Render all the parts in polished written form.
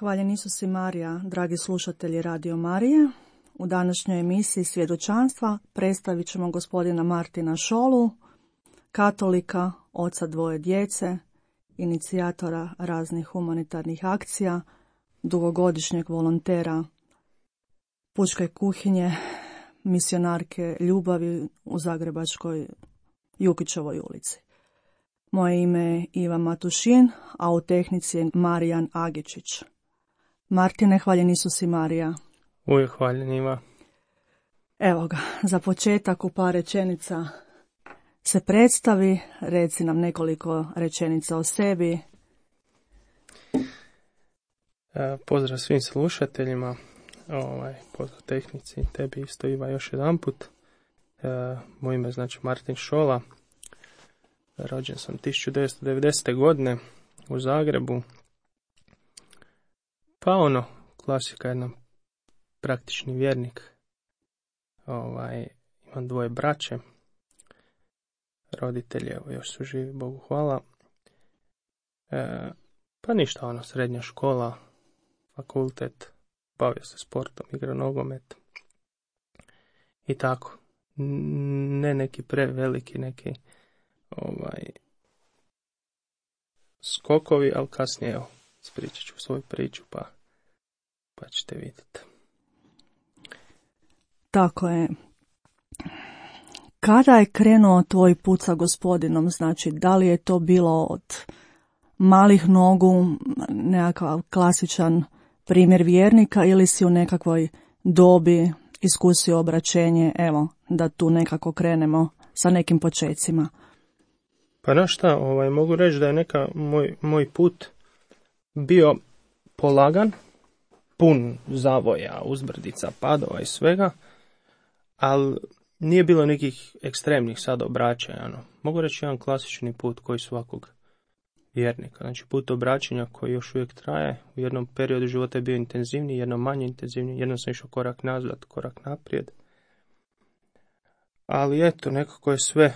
Hvaljen Isus i Marija, dragi slušatelji Radio Marije. U današnjoj emisiji Svjedočanstva predstavit ćemo gospodina Martina Šolu, katolika, oca dvoje djece, inicijatora raznih humanitarnih akcija, dugogodišnjeg volontera pučke kuhinje, misionarke ljubavi u zagrebačkoj Jukićevoj ulici. Moje ime je Iva Matušin, a u tehnici je Marijan Agičić. Martine, hvaljen Isus i Marija. Uvijek hvaljen Iva. Evo ga, za početak u par rečenica se predstavi, reci nam nekoliko rečenica o sebi. Pozdrav svim slušateljima, pozdrav tehnici, tebi isto Iva još jedan put. Moje ime je znači Martin Šola. Rođen sam 1990. godine u Zagrebu. Pa klasika, jedan praktični vjernik. Imam dvoje braće. Roditelji još su živi, Bogu hvala. Pa ništa, srednja škola, fakultet, bavio se sportom, igrao nogomet. I tako. Ne neki preveliki, neki skokovi, ali kasnije ispričat ću svoju priču, pa ćete vidjeti. Tako je. Kada je krenuo tvoj put sa gospodinom? Znači, da li je to bilo od malih nogu, nekakav klasičan primjer vjernika, ili si u nekakvoj dobi iskusio obraćenje, evo, da tu nekako krenemo sa nekim počecima? Pa znaš šta, mogu reći da je moj put bio polagan, pun zavoja, uzbrdica, padova i svega, ali nije bilo nekih ekstremnih sad obraćanja. Mogu reći jedan klasični put koji svakog vjernika. Znači put obraćanja koji još uvijek traje. U jednom periodu života je bio intenzivniji, jednom manje intenzivniji, jednom sam išao korak nazad, korak naprijed. Ali eto, nekako je sve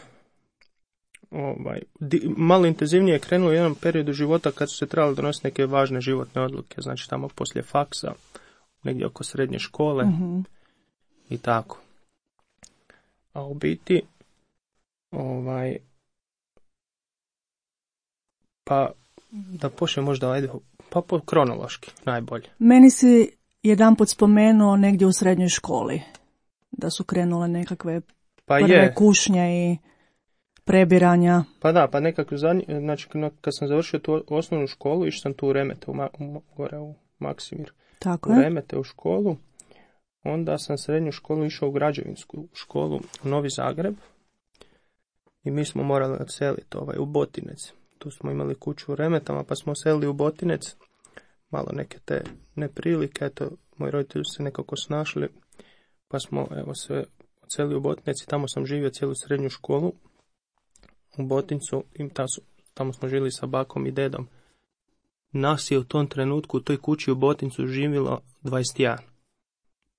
malo intenzivnije krenulo u jednom periodu života kad su se trebali donositi neke važne životne odluke. Znači tamo poslije faksa, negdje oko srednje škole i tako. A u biti, pa da počnem možda, kronološki, najbolje. Meni si jedanput spomenuo negdje u srednjoj školi, da su krenule nekakve prve kušnje i prebiranja. Pa da, pa nekako znači kad sam završio tu osnovnu školu, išao sam tu u Remete, gore u Maksimir. Tako u Remete u školu. Onda sam srednju školu išao u građevinsku školu u Novi Zagreb i mi smo morali odseliti u Botinec. Tu smo imali kuću u Remetama, pa smo odselili u Botinec. Malo neke te neprilike, eto, moji roditelji su se nekako snašli, pa smo se odselili u Botinec i tamo sam živio cijelu srednju školu u Botincu i tamo smo živjeli sa bakom i dedom. Nas je u tom trenutku u toj kući u Botincu živjelo 21.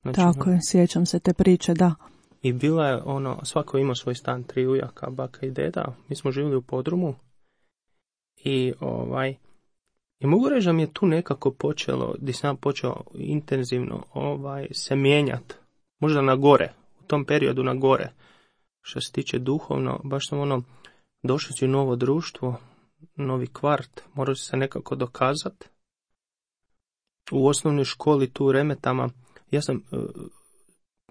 Znači, tako je, sjećam se te priče, da. I bila je svako imao svoj stan, 3 ujaka, baka i deda. Mi smo živjeli u podrumu i i mogu reći da mi je tu nekako počelo, gdje sam počeo intenzivno se mijenjati. Možda na gore, u tom periodu na gore. Što se tiče duhovno, baš sam došao si u novo društvo, novi kvart, morao se nekako dokazati. U osnovnoj školi tu u Remetama, ja sam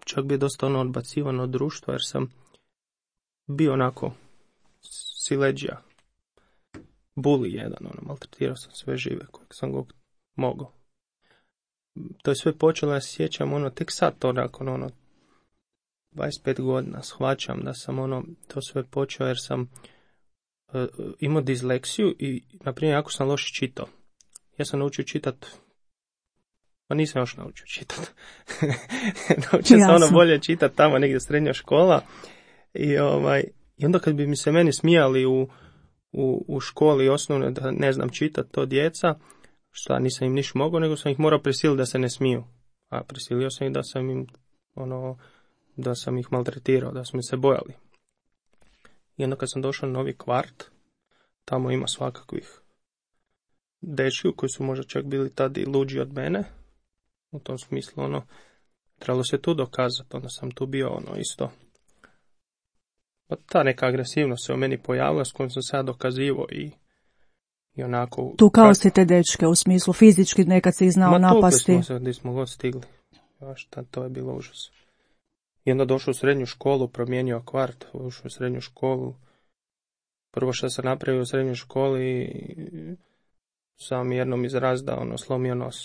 čak bio dosta odbacivan od društva, jer sam bio onako sileđija, buli jedan, maltretirao sam sve žive kojeg sam mogao. To je sve počelo, ja se sjećam, tek sad to nakon 25 godina shvaćam da sam to sve počeo jer sam imao disleksiju i, na primjer, jako sam loše čitao. Ja sam naučio čitati, pa nisam još naučio čitati. Naučio sam bolje čitati tamo negdje srednja škola i onda kad bi mi se meni smijali u školi osnovne da ne znam čitati to djeca, šta nisam im niš mogao, nego sam ih morao prisiliti da se ne smiju. A prisilio sam ih da sam im da sam ih maltretirao, da su mi se bojali. I onda kad sam došao na novi kvart, tamo ima svakakvih dečki koji su možda čak bili tad i luđi od mene. U tom smislu, trebalo se tu dokazati, onda sam tu bio, isto. Ta neka agresivnost se u meni pojavila s kojom sam se ja dokazivao i onako... Tukao si te dečke, u smislu fizički nekad si ih znao napasti. Tukli smo se gdje smo god stigli. To je bilo užas. I onda došao u srednju školu, promijenio kvart, ušao u srednju školu. Prvo što sam napravio u srednjoj školi, sam jednom iz razda, slomio nos.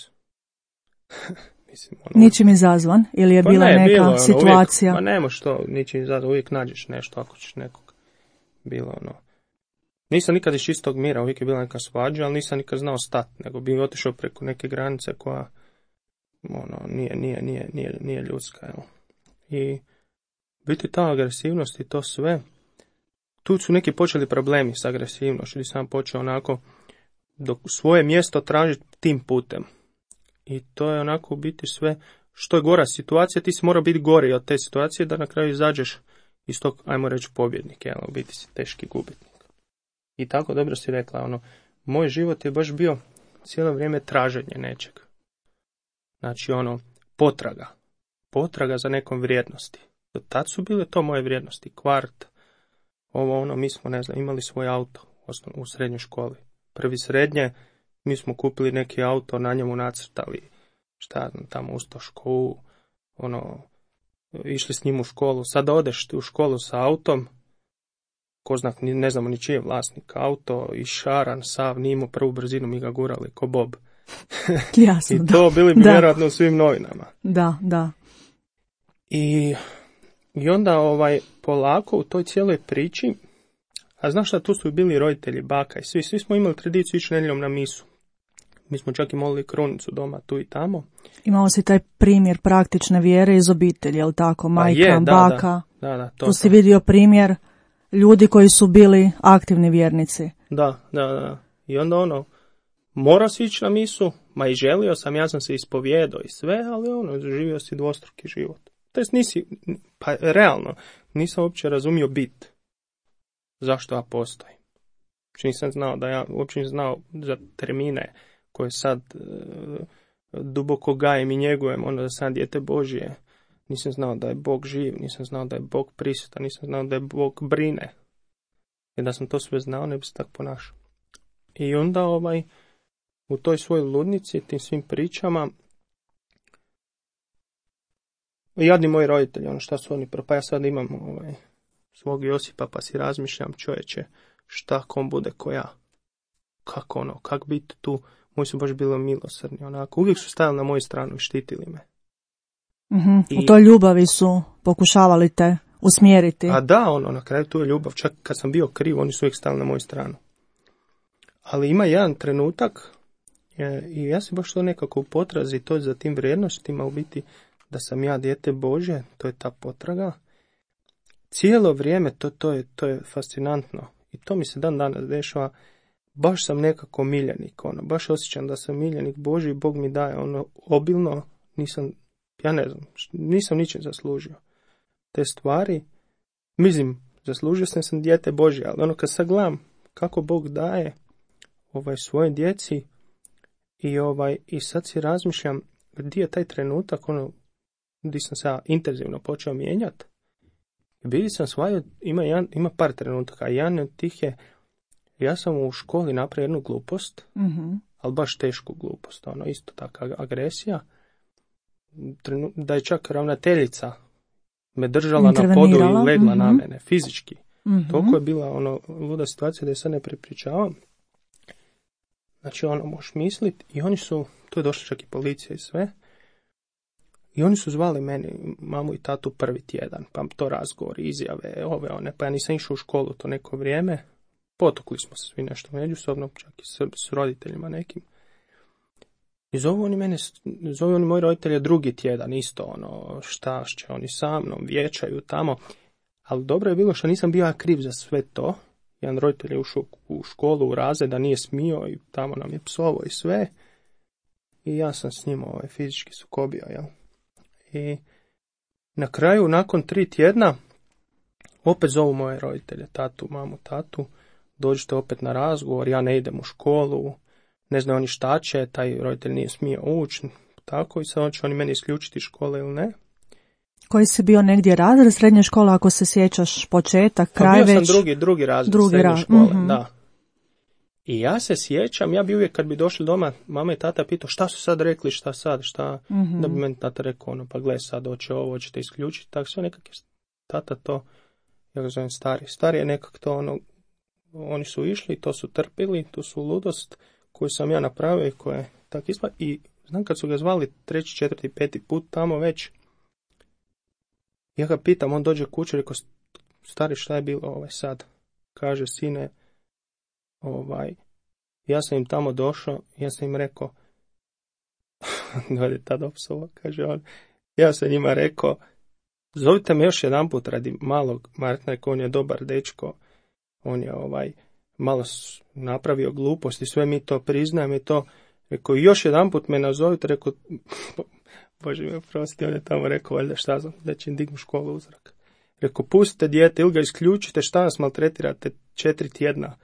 Mislim, ničim izazvan ili je bila neka situacija? Uvijek, nemo što, ničim izazvan, uvijek nađeš nešto ako ćeš nekog. Bilo Nisam nikad iz čistog mira, uvijek je bila neka svađa, ali nisam nikad znao stati, nego bi otišao preko neke granice koja nije ljudska. Jel? I biti ta agresivnost i to sve, tu su neki počeli problemi s agresivnošću, gdje sam počeo onako svoje mjesto tražiti tim putem. I to je onako u biti sve, što je gora situacija, ti si mora biti gori od te situacije da na kraju izađeš iz tog, ajmo reći, pobjednik, jel? U biti si teški gubitnik. I tako dobro si rekla, moj život je baš bio cijelo vrijeme traženje nečeg. Znači, potraga za nekom vrijednosti. Do tad su bile to moje vrijednosti, kvart, mi smo, imali svoj auto u srednjoj školi. Prvi srednje, mi smo kupili neki auto, na njemu nacrtali, tamo Ustašku, išli s njim u školu. Sada odeš u školu sa autom, ko znak, ne znamo ni čiji je vlasnik auto, i šaran, sav, nije imao prvu brzinu, mi ga gurali, ko Bob. Jasno, I to bili bi vjerojatno u svim novinama. Da. I onda polako u toj cijeloj priči, a znaš šta, tu su bili roditelji, baka i svi smo imali tradiciju ići nedjeljom na misu. Mi smo čak i molili krunicu doma tu i tamo. Imao si taj primjer praktične vjere iz obitelji, je li tako? Majka, baka. Da, tu si vidio primjer ljudi koji su bili aktivni vjernici. Da. I onda morao si ići na misu, ma i želio sam, ja sam se ispovijedao i sve, ali živio si dvostruki život. To jest realno, nisam uopće razumio bit. Zašto ja postojim? Nisam znao za termine koje sad duboko gajem i njegujem, da sam dijete Božje. Nisam znao da je Bog živ, nisam znao da je Bog prisutan, nisam znao da je Bog brine. Jer da sam to sve znao, ne bi se tako ponašao. I onda u toj svojoj ludnici, tim svim pričama, jadni moji roditelji, šta su oni pa ja sad imam svog Josipa, pa si razmišljam, čovječe, šta kom bude ko ja? Kak biti tu? Moji su baš bili milosrdni, uvijek su stajali na moju stranu i štitili me. Mm-hmm. U toj ljubavi su pokušavali te usmjeriti. A da, na kraju tu je ljubav, čak kad sam bio kriv, oni su uvijek stali na moju stranu. Ali ima jedan trenutak, i ja sam baš to nekako u potrazi, to je za tim vrijednostima, u biti da sam ja dijete Božje, to je ta potraga. Cijelo vrijeme to je fascinantno i to mi se dan danas dešava. Baš sam nekako miljenik, baš osjećam da sam miljenik Božji, Bog mi daje obilno, nisam ničim zaslužio te stvari. Mislim, zaslužio sam dijete Božje, ali kad sad gledam kako Bog daje svoje djeci i sad si razmišljam gdje je taj trenutak, gdje sam se intenzivno počeo mijenjati. I bili sam shvatio, ima par trenutaka, a jedan od tih je, ja sam u školi napravio jednu glupost, mm-hmm. ali baš tešku glupost, isto tako agresija, da je čak ravnateljica me držala na podu i legla na mene, fizički. Mm-hmm. Toliko je bila luda situacija da je sad ne prepričavam. Znači, možeš misliti, i oni su, tu je došla čak i policija i sve, i oni su zvali meni, mamu i tatu prvi tjedan, pa to razgovor, izjave, pa ja nisam išao u školu to neko vrijeme, potukli smo se svi nešto međusobno, čak i s roditeljima nekim. I zovu oni moji roditelji drugi tjedan, isto šta će oni sa mnom, vječaju tamo, ali dobro je bilo što nisam bio kriv za sve to. Jedan roditelj je ušao u školu, u razred, da nije smio i tamo nam je psovo i sve. I ja sam s njim fizički sukobio, jel? I na kraju, nakon 3 tjedna, opet zovu moje roditelje, tatu, mamu, tatu, dođite opet na razgovor, ja ne idem u školu, ne znaju oni šta će, taj roditelj nije smio ući, tako, i sad će oni meni isključiti iz škole ili ne. Koji si bio negdje razred srednje škole, ako se sjećaš početak, kraj već? Bio sam drugi razred srednje škole, da. I ja se sjećam, ja bi uvijek kad bi došli doma, mama i tata pitao šta su sad rekli, šta sad, šta, da bi meni tata rekao, pa gle sad, hoće ovo, hoćete isključiti, tako sve nekak je tata to, ja ga zovem stari je nekak to, oni su išli, to su trpili, tu su ludost koju sam ja napravio i koja je tak ispala, i znam kad su ga zvali 3., 4., 5. put tamo već, ja ga pitam, on dođe kući, rekao, stari, šta je bilo sad? Kaže, sine, ja sam im tamo došao, ja sam im rekao, glede tada opsova, kaže on, ja sam njima rekao, zovite me još jedan put radi malog Martina, rekao, on je dobar dečko, on je malo napravio gluposti, sve mi to priznajem i to, rekao, još jedan put me nazovite, rekao, Bože mi oprosti, on je tamo rekao, valjda šta znam, da će im dignu školu u zrak. Rekao, pustite dijete ili ga isključite, šta nas maltretirate 4 tjedna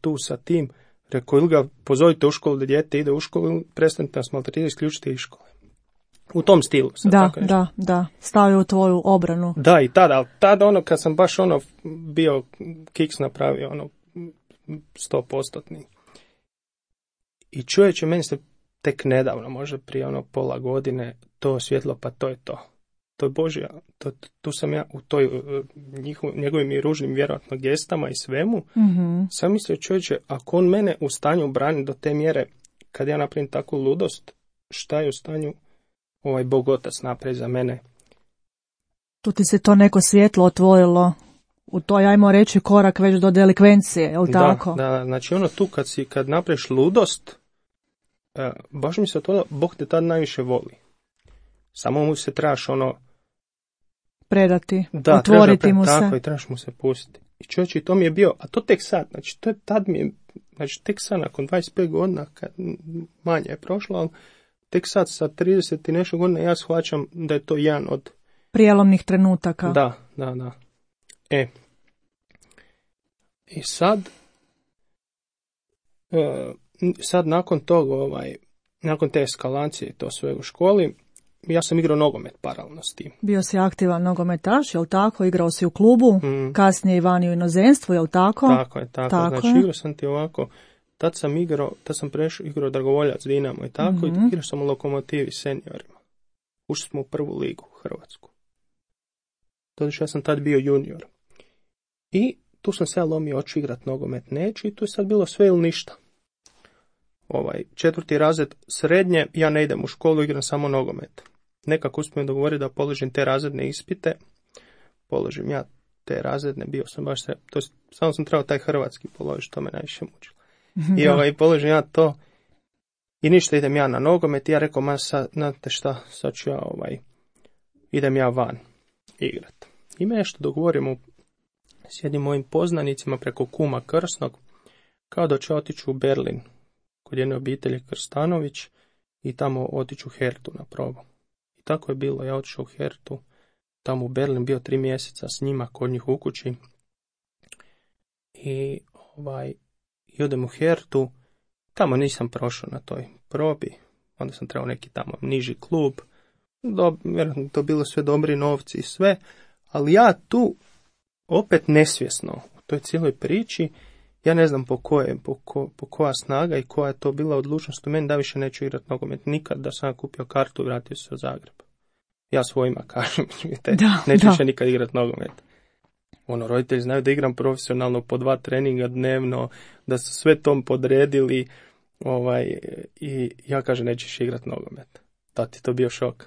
tu sa tim. Rekao, ili ga pozovite u školu da dijete ide u školu, ili prestanite nas maltretirati, isključite iz škole. U tom stilu. Da, stavio u tvoju obranu. Da, i tada kad sam baš bio kiks napravio, 100%. I čovječe, meni se tek nedavno, možda prije pola godine, to osvjetlo, pa to je to. To je Božja, tu sam ja u toj njegovim i ružnim vjerojatno gestama i svemu, sam mislio, čovječe, ako on mene u stanju brani do te mjere, kad ja napravim takvu ludost, šta je u stanju Bog Otac napravi za mene? Tu ti se to neko svjetlo otvorilo, u toj, ajmo reći, korak već do delikvencije, je li tako? Da, znači tu kad napraviš ludost, baš mi se otvorilo, Bog te tad najviše voli. Samo mu se trebaš predati, otvoriti mu se. Tako, i trebaš mu se pustiti. I čovječe, to mi je bio, a to tek sad, znači to je tad mi je, znači tek sad nakon 25 godina, kad manje je prošlo, ali tek sad sa 30 i nešto godina ja shvaćam da je to jedan od prijelomnih trenutaka. Da. I sad nakon toga, nakon te eskalacije i to sve u školi, ja sam igrao nogomet paralelno s tim. Bio si aktivan nogometaš, jel tako? Igrao si u klubu, kasnije i vani u inozemstvu, jel tako? Tako. Znači igrao sam ti ovako, tad sam prešao igrao Dragovoljac, Dinamo i tako, i igrao sam u Lokomotivi seniorima. Ušli smo u prvu ligu, Hrvatsku. Znači ja sam tad bio junior. I tu sam se lomio, hoću igrat nogomet, neću, i tu je sad bilo sve ili ništa. 4. razred srednje, ja ne idem u školu, igram samo nogomet. Nekako uspijem dogovoriti da položim te razredne ispite. Položim ja te razredne, bio sam baš samo sam trebao taj hrvatski položiti, to me najviše mučilo. I položim ja to i ništa, idem ja na nogomet. I ja rekao, znate šta, sad ću ja idem ja van igrat. I me nešto dogovorimo s jednim mojim poznanicima preko kuma Krsnog, kao da ću otići u Berlin kod jedne obitelji Krstanović i tamo otići u Hertu na probu. I tako je bilo, ja otišao u Hertu, tamo u Berlin, bio 3 mjeseca s njima kod njih u kući. I odem u Hertu, tamo nisam prošao na toj probi, onda sam trebao neki tamo niži klub, vjerojatno to bilo sve dobri novci i sve, ali ja tu opet nesvjesno u toj cijeloj priči, ja ne znam po koja snaga i koja je to bila odlučnost u meni da više neću igrati nogomet nikad, da sam kupio kartu i vratio se u Zagreb. Ja svojima kažem, neću više nikad igrati nogomet. Roditelji znaju da igram profesionalno po 2 treninga dnevno, da su sve tom podredili, i ja kažem nećeš igrati nogomet. Da, ti to bio šok.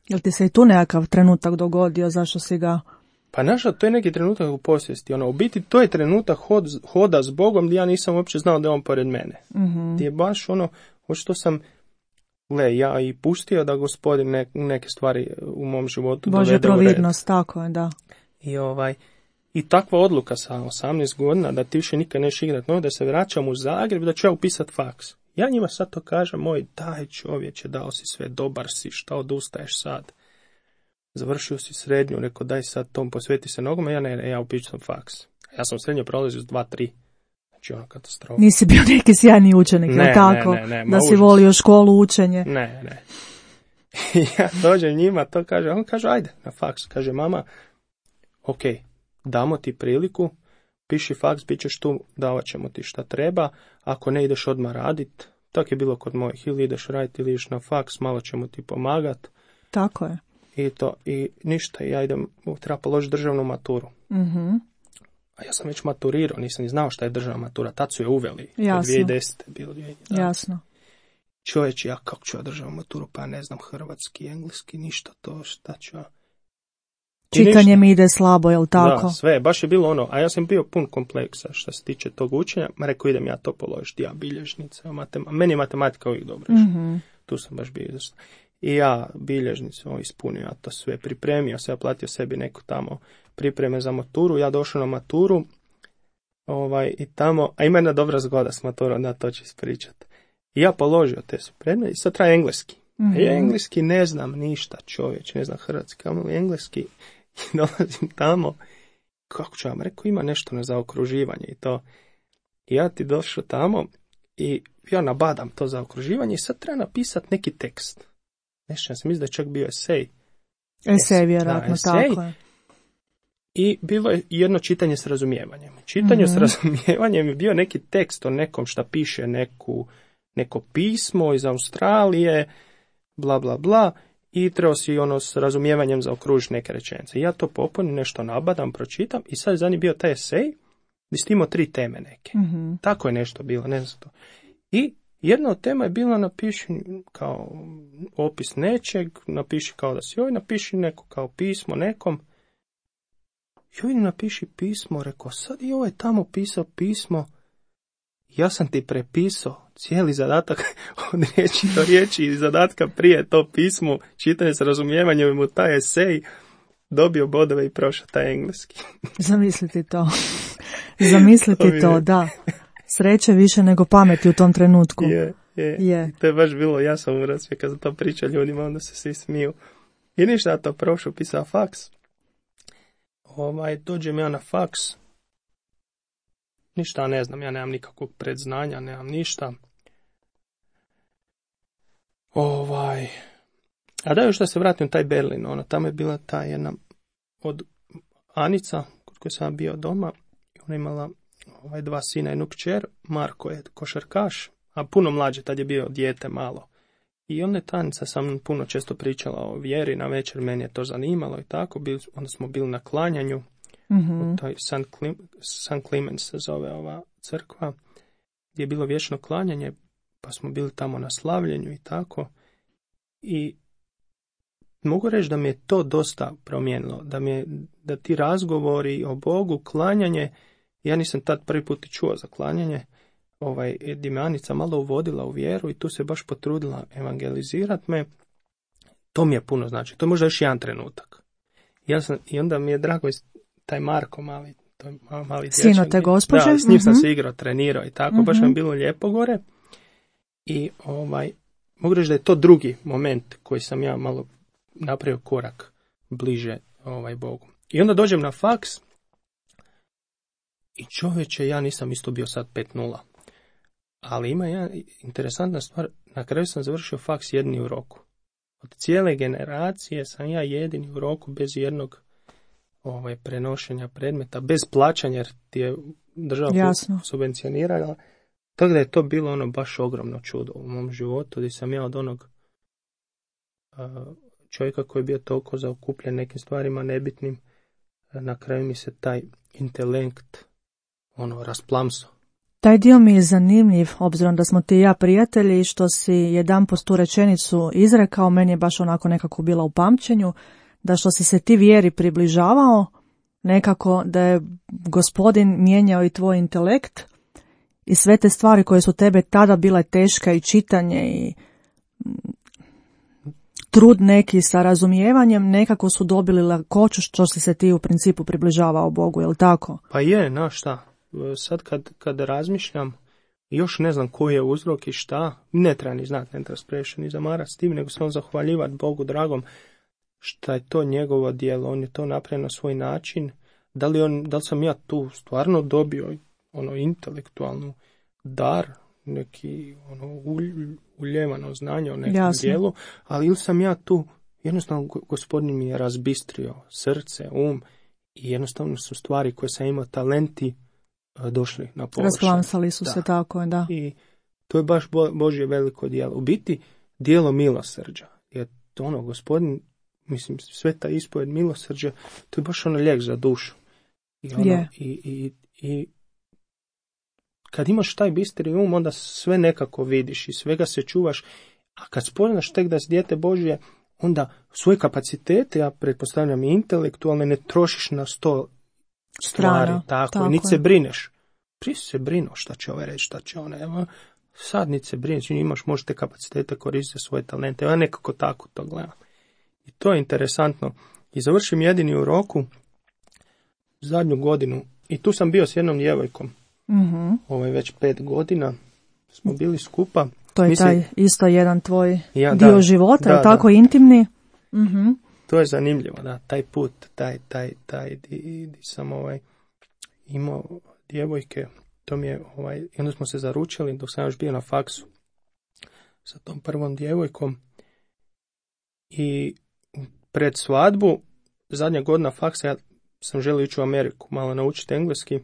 Jel ti se i tu nekakav trenutak dogodio, zašto si ga... Pa naša, to je neki trenutak u posvijesti. U biti to je trenutak hoda s Bogom gdje ja nisam uopće znao da je on pored mene. Gdje je baš što sam ja i pustio da Gospodin neke stvari u mom životu dovede u red. Božja providnost, tako je, da. I takva odluka sa 18 godina da ti više nikad neš igrat, da se vraćam u Zagreb, da ću ja upisat faks. Ja njima sad to kažem, daj čovječe, dao si sve, dobar si, šta odustaješ sad? Završio si srednju, rekao daj sad tom posveti se nogome, ja upišem faks. Ja sam srednju prolazio s 2-3. Znači, ono katastrofa. Nisi bio neki sjajni učenik, Ne, jel tako? ne, Da si užas. volio školu, učenje. Ne. I ja dođem njima, to kaže, on kaže, ajde, na faks. Kaže, mama, ok, damo ti priliku, piši faks, bit ćeš tu, davat ćemo ti šta treba, ako ne ideš odmah radit, tako je bilo kod mojih, ili ideš raditi, ili ideš na faks, malo ćemo ti pomagat. Tako je. I ništa, ja idem, treba položiti državnu maturu. Mhm. A ja sam već maturirao, nisam ni znao šta je državna matura, tad su je uveli, Jasno. 2010. bilo 2011. Jasno. Čovječ, ja kako ću ja državnu maturu, pa ne znam hrvatski, engleski, ništa to, šta ću ja. Čitanje mi ide slabo, jel tako? Da, sve, baš je bilo ono, a ja sam bio pun kompleksa što se tiče tog učenja, rekao idem ja to položiti, ja bilježnica, meni je matematika uvijek dobro išla. Mhm. Tu sam baš bio izvrstan. I ja bilježnicu ispunio, ja to sve pripremio, sve ja platio sebi neku tamo pripreme za maturu, ja došao na maturu, i tamo, a ima jedna dobra zgoda s maturom, da to ću ispričati. I ja položio te su predmete i sad traje engleski. Mhm. A ja engleski ne znam ništa, čovječ, ne znam hrvatski, ali engleski. I dolazim tamo, kako ću vam rekao, ima nešto na zaokruživanje i to. I ja ti došao tamo i ja nabadam to zaokruživanje i sad treba napisati neki tekst. Nešto ja sam mislim da je čak bio esej. Esej, vjerojatno, tako je. I bilo je jedno čitanje s razumijevanjem. Čitanje s razumijevanjem je bio neki tekst o nekom šta piše neko pismo iz Australije, bla bla bla, i trebao si s razumijevanjem zaokružiti neke rečenice. Ja to popunim, nešto nabadam, pročitam i sad je za njih bio taj esej gdje si imao 3 teme neke. Mhm. Tako je nešto bilo, ne znam to. I jedna od tema je bila napiši kao opis nečeg, napiši kao da si napiši neko kao pismo nekom. Joj, napiši pismo, rekao, sad i ovaj tamo pisao pismo, ja sam ti prepisao cijeli zadatak od riječi do riječi i zadatka prije to pismo, čitanje s razumijevanjem i mu taj esej, dobio bodove i prošao taj engleski. Zamisliti to. Zamisliti to, da. Sreće više nego pameti u tom trenutku. Je. To je baš bilo, ja sam u razvije kad sam to pričao ljudima, onda se svi smiju. I ništa, ja to prošao, pisao faks. Dođem ja na faks. Ništa ne znam, ja nemam nikakvog predznanja, nemam ništa. A da još da se vratim u taj Berlin, tamo je bila ta jedna od Anica, kod koje sam bio doma, i ona imala 2 sina i jednu kćer, Marko je košarkaš, a puno mlađe, tad je bio dijete malo. I onda je ta Anica sam puno često pričala o vjeri, na večer meni je to zanimalo i tako, onda smo bili na klanjanju, u toj San Clemens se zove ova crkva, gdje je bilo vječno klanjanje, pa smo bili tamo na slavljenju i tako. I mogu reći da mi je to dosta promijenilo, da ti razgovori o Bogu, klanjanje, ja nisam tad prvi put i čuo za klanjanje, gdje me Anica malo uvodila u vjeru i tu se baš potrudila evangelizirati me, to mi je puno znači, to je možda još jedan trenutak. I onda mi je drago taj Marko mali, to je mali dječak. Sino te gospođe? Da, s njim sam se igrao, trenirao i tako, baš mi je bilo lijepo gore. I mogu reći da je to drugi moment koji sam ja malo napravio korak bliže Bogu. I onda dođem na faks i čovječe, ja nisam isto bio sad 5:0. Ali ima jedna interesantna stvar, na kraju sam završio faks jedini u roku. Od cijele generacije sam ja jedini u roku bez jednog prenošenja predmeta, bez plaćanja jer ti je država subvencionirala. Tako da je to bilo baš ogromno čudo u mom životu, gdje sam ja od onog čovjeka koji je bio toliko zaokupljen nekim stvarima nebitnim, na kraju mi se taj intelekt rasplamso. Taj dio mi je zanimljiv, obzirom da smo ti i ja prijatelji i što si jedanput tu rečenicu izrekao, meni je baš onako nekako bila u pamćenju, da što si se ti vjeri približavao, nekako da je Gospodin mijenjao i tvoj intelekt i sve te stvari koje su tebe tada bile teške i čitanje i trud neki sa razumijevanjem, nekako su dobili lakoću što si se ti u principu približavao Bogu, je li tako? Pa je, šta? Sad kad razmišljam, još ne znam koji je uzrok i šta, ne treba ni znati, ne treba previše ni zamarati s tim, nego samo zahvaljivati Bogu dragom šta je to njegovo djelo, on je to napravio na svoj način, da li sam ja tu stvarno dobio intelektualnu dar, neki uljevano znanje o nekom Jasno. dijelu, ali ili sam ja tu, jednostavno Gospodin mi je razbistrio srce, i jednostavno su stvari koje sam imao, talenti, došli na površinu. Rasplamsali su se, tako je, da. I to je baš Božje veliko djelo. U biti, djelo milosrđa. Jer Gospodin, mislim, sveta ispovjed milosrđa, to je baš lijek za dušu. I kad imaš taj bistri onda sve nekako vidiš i svega se čuvaš, a kad spoznaš tek da si dijete Božje, onda svoje kapacitete, ja pretpostavljam i intelektualne, ne trošiš na 100 stvari, tako. Niti se brineš. Prije se brinuo šta će ovaj reći, šta će ona. Sad niti se brineš, možete kapacitete koristiti svoje talente. Ja nekako tako to gledam. I to je interesantno. I završim jedini u roku, zadnju godinu, i tu sam bio s jednom djevojkom. Mm-hmm. Već 5 godina smo bili skupa. To je taj isto jedan tvoj dio života, je tako intimni? Mm-hmm. To je zanimljivo, da, taj put, di sam imao djevojke, to mi je, i onda smo se zaručili dok sam još bio na faksu sa tom prvom djevojkom i pred svadbu, zadnja godina faksa, ja sam želio ići u Ameriku, malo naučiti engleski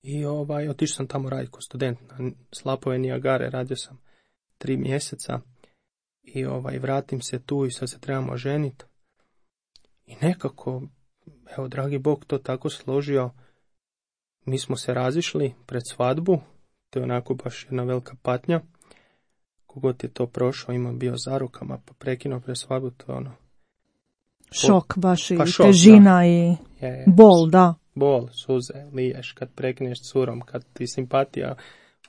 i otišao sam tamo raditi kao student na slapove Nijagare, radio sam 3 mjeseca i vratim se tu i sad se trebamo ženiti i nekako, evo dragi Bog to tako složio, mi smo se razišli pred svadbu, to je onako baš jedna velika patnja, kogod je to prošao, ima bio za rukama pa prekinuo pred svadbu, to je šok baš i šok, težina da. I bol, da. Bol, suze, liješ kad prekneš s curom, kad ti simpatija,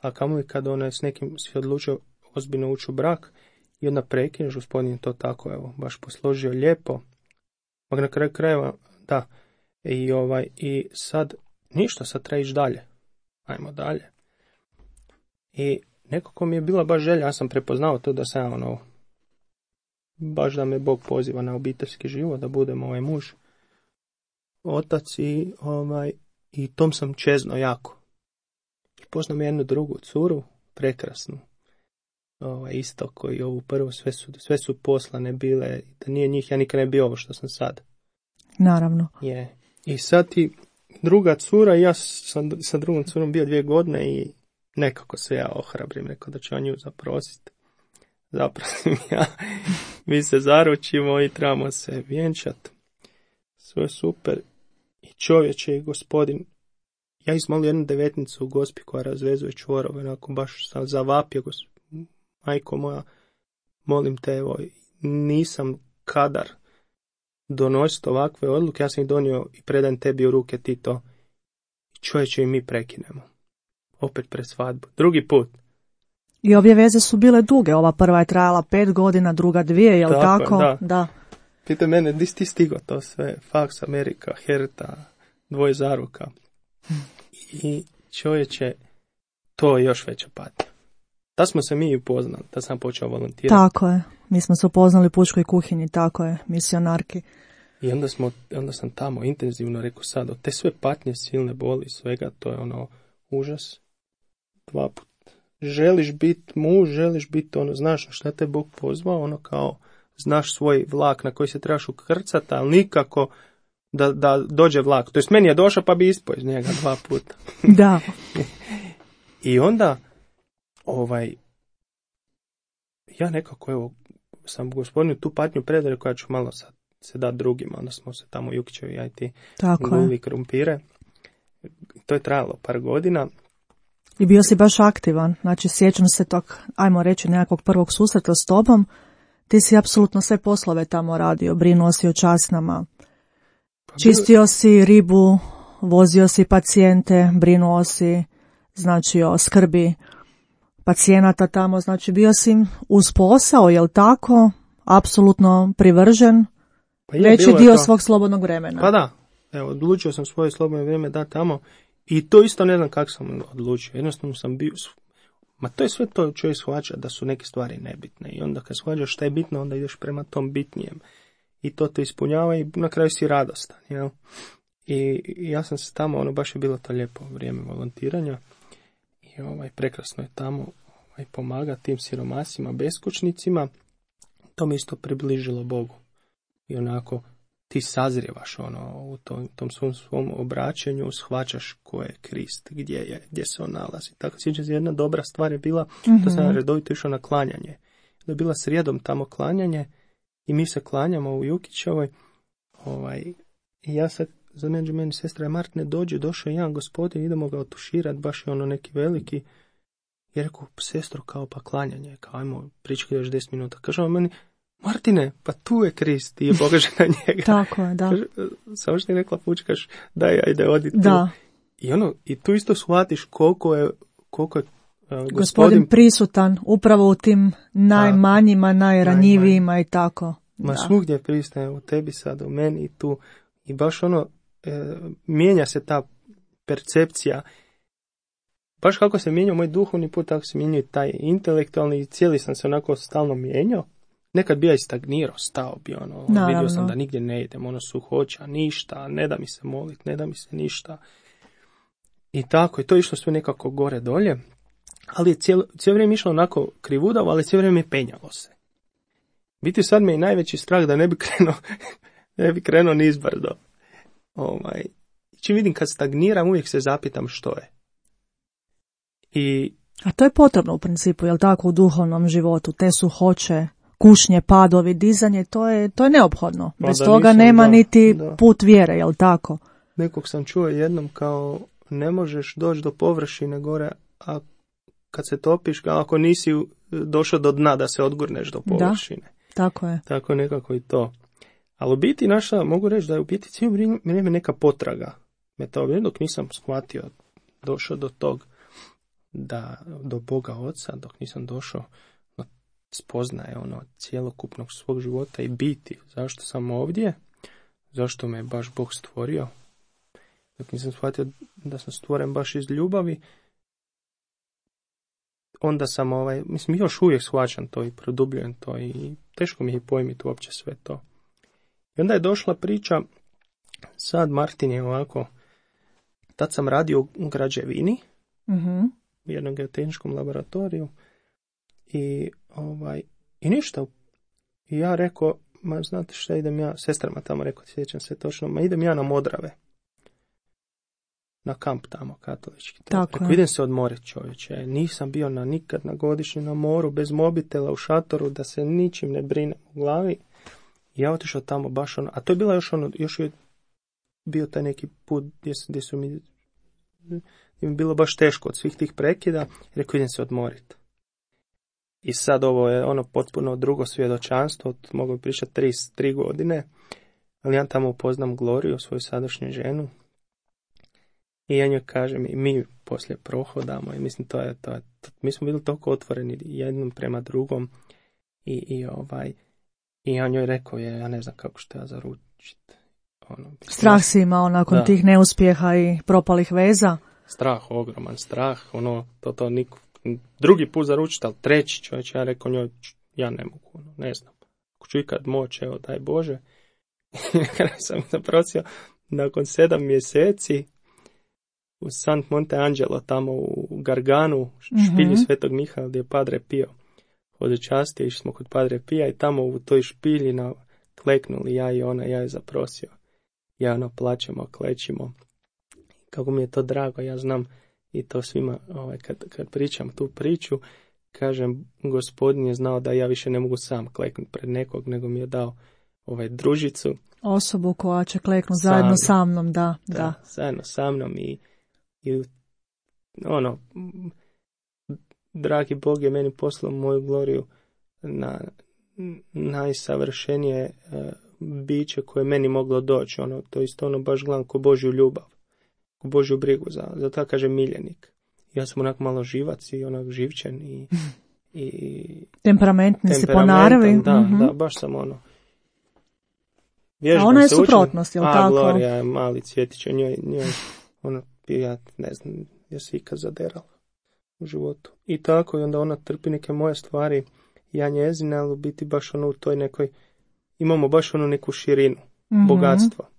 a kamoli kad ona s nekim si odlučio ozbiljno ući u brak i onda prekineš, Gospodin to tako, evo, baš posložio lijepo. Mag na kraju krajeva, da. I sad, ništa, sad treba ići dalje. Ajmo dalje. I nekako mi je bila baš želja, ja sam prepoznao to da sam baš da me Bog poziva na obiteljski život, da budem muž, otac i tom sam čezno jako. I poznam jednu drugu curu, prekrasnu, isto koji ovu prvu, sve su poslane bile, da nije njih, ja nikad ne bio ovo što sam sad. Naravno. Je. I sad ti druga cura, ja sam sa drugom curom bio 2 godine i nekako se ja ohrabrim, rekao da ću ja nju zaprositi. Zaprosim ja, mi se zaručimo i trebamo se vjenčati. Sve je super. I čovječe i Gospodin, ja izmolio jednu 19 u Gospi koja razvezuje čvorove, onako baš sam zavapio, majko moja, molim te, evo, nisam kadar donositi ovakve odluke, ja sam ih donio i predajem tebi u ruke, ti to. Čovječe i mi prekinemo. Opet pred svadbu. Drugi put. I obje veze su bile duge, ova prva je trajala 5 godina, druga 2, jel tako? Da. Pita mene, di si ti stigo to sve, faks, Amerika, Herta, 2 zaruka. I čovječe, to je još veća patnja. Da smo se mi upoznali, da sam počeo volontirati. Tako je, mi smo se upoznali u pučkoj kuhinji, tako je, misionarki. I onda sam tamo intenzivno rekao sad, od te sve patnje, silne boli, svega, to je užas. 2 puta. Želiš biti muž, želiš biti znaš šta te Bog pozvao, kao znaš svoj vlak na koji se trebaš ukrcati, ali nikako da dođe vlak. To jest meni je došao pa bi ispao iz njega 2 puta. Da. I onda ja nekako evo sam Gospodinu tu patnju predao koja ću malo sad se dati drugima, onda smo se tamo Jukićevi ja i ti guli krumpire. To je trajalo par godina. I bio si baš aktivan, znači sjećam se tog, ajmo reći, nekakvog prvog susreta s tobom, ti si apsolutno sve poslove tamo radio, brinuo si o časnama, čistio si ribu, vozio si pacijente, brinuo si, znači o skrbi pacijenata tamo, znači bio si uz posao, jel tako, apsolutno privržen, veći dio svog slobodnog vremena. Pa da, evo, odlučio sam svoje slobodno vrijeme da tamo. I to isto ne znam kako sam odlučio. Jednostavno sam bio... Ma to je sve to čovjek shvaća da su neke stvari nebitne. I onda kad shvaćaš šta je bitno, onda ideš prema tom bitnijem. I to te ispunjava i na kraju si radostan. Jel? I ja sam se tamo, baš je bilo to lijepo vrijeme volontiranja i prekrasno je tamo pomagati tim siromasima, beskućnicima. To mi isto približilo Bogu. I onako ti sazrijevaš u tom svom obraćanju, shvaćaš ko je Krist, gdje se on nalazi. Tako sjećam se, jedna dobra stvar je bila, to sam redovito išao na klanjanje. Da je bila srijedom tamo klanjanje i mi se klanjamo u Jukićevoj. I ja sad, za meni sestra Martine došao jedan gospodin, idemo ga otuširati, baš je neki veliki. I rekao, sestro, kao pa klanjanje, kao ajmo pričati još 10 minuta. Kaže on meni, Martine, pa tu je Krist, i je pokaže na njega. Tako je, da. Samo što je rekla pučkaš, daj, ajde, odi tu. Da. I tu isto shvatiš koliko je gospodin prisutan upravo u tim najmanjima, najranjivijima i tako. Svugdje pristaje, u tebi sad, u meni i tu. I baš mijenja se ta percepcija. Baš kako se mijenjao moj duhovni put, tako se mijenjao taj intelektualni i cijeli sam se onako stalno mijenjao. Nekad bi ja i stagnirao, stao bi vidio sam da nigdje ne idem, suhoća, ništa, ne da mi se molit, ne da mi se ništa. I tako, i to je išlo sve nekako gore dolje, ali je cijelo vrijeme išlo onako krivudavo, ali cijelo vrijeme penjalo se. Biti sad me i najveći strah da ne bi krenuo nizbrdo. Čim vidim kad stagniram, uvijek se zapitam što je. A to je potrebno u principu, jel tako, u duhovnom životu, te suhoće, kušnje, padovi, dizanje, to je neophodno. Bez toga nema niti put vjere, jel tako? Nekog sam čuo jednom kao ne možeš doći do površine gore, a kad se topiš, ako nisi došao do dna da se odgurneš do površine. Da, tako je. Tako nekako i to. Ali u biti mogu reći da je u biti cijelo vrijeme neka potraga. Dok nisam shvatio, došao do tog, do Boga Oca, dok nisam došao spoznaje cjelokupnog svog života i biti. Zašto sam ovdje? Zašto me baš Bog stvorio? Dok nisam shvatio da sam stvoren baš iz ljubavi, onda sam još uvijek shvaćam to i produbljujem to i teško mi je pojmiti uopće sve to. I onda je došla priča, sad Martin je ovako, tad sam radio u građevini, u jednom geotehničkom laboratoriju i ništa. I ja rekao, znate šta, idem ja, sestrama tamo rekao, sjećam se točno, idem ja na Modrave. Na kamp tamo, katolički. Rekao, idem se odmoriti, čovječe. Nisam bio nikad na godišnju na moru, bez mobitela, u šatoru, da se ničim ne brine u glavi. I ja otišao tamo baš a to je bila još je bio taj neki put gdje su mi bilo baš teško od svih tih prekida. Rekao, idem se odmoriti. I sad ovo je potpuno drugo svjedočanstvo, mogu pričati 3 godine, ali ja tamo upoznam Gloriju, svoju sadašnju ženu, i ja njoj kažem, i mi poslije prohodamo, i mislim, to je, mi smo bili toliko otvoreni jednom prema drugom, i ja njoj rekao, ja ne znam kako što ja zaručiti. Strah si imao nakon tih neuspjeha i propalih veza? Strah, ogroman strah, to niko. Drugi put zaručiti, ali treći čovječ, ja rekao njoj, ja ne mogu, ne znam. Ako ću ikad moći, evo, daj Bože. Kada sam zaprosio, nakon 7 mjeseci, u Sant Monte Angelo, tamo u Garganu, špilju Svetog Mihaela, gdje je Padre Pio hodočastio, išli smo kod Padre Pija i tamo u toj špilji kleknuli ja i ona, ja je zaprosio. Ja plaćemo, klećimo. Kako mi je to drago, ja znam i to svima, kad pričam tu priču, kažem, Gospodin je znao da ja više ne mogu sam kleknuti pred nekog, nego mi je dao družicu. Osobu koja će kleknuti zajedno sa mnom, da. Zajedno sa mnom i dragi Bog je meni poslao moju Gloriju na najsavršenije biće koje meni moglo doći. To isto baš gledam ko Božju ljubav, ko Božju brigu, za to kažem miljenik. Ja sam onako malo živac i živčan i temperamentni si po naravi. Da, baš sam a ona je suprotnost, je li tako? Glorija je mali cvjetić, njoj ja ne znam, ja se ikad zaderala u životu. I tako, i onda ona trpi neke moje stvari, ja njezine, ali biti baš u toj nekoj, imamo baš neku širinu, bogatstva.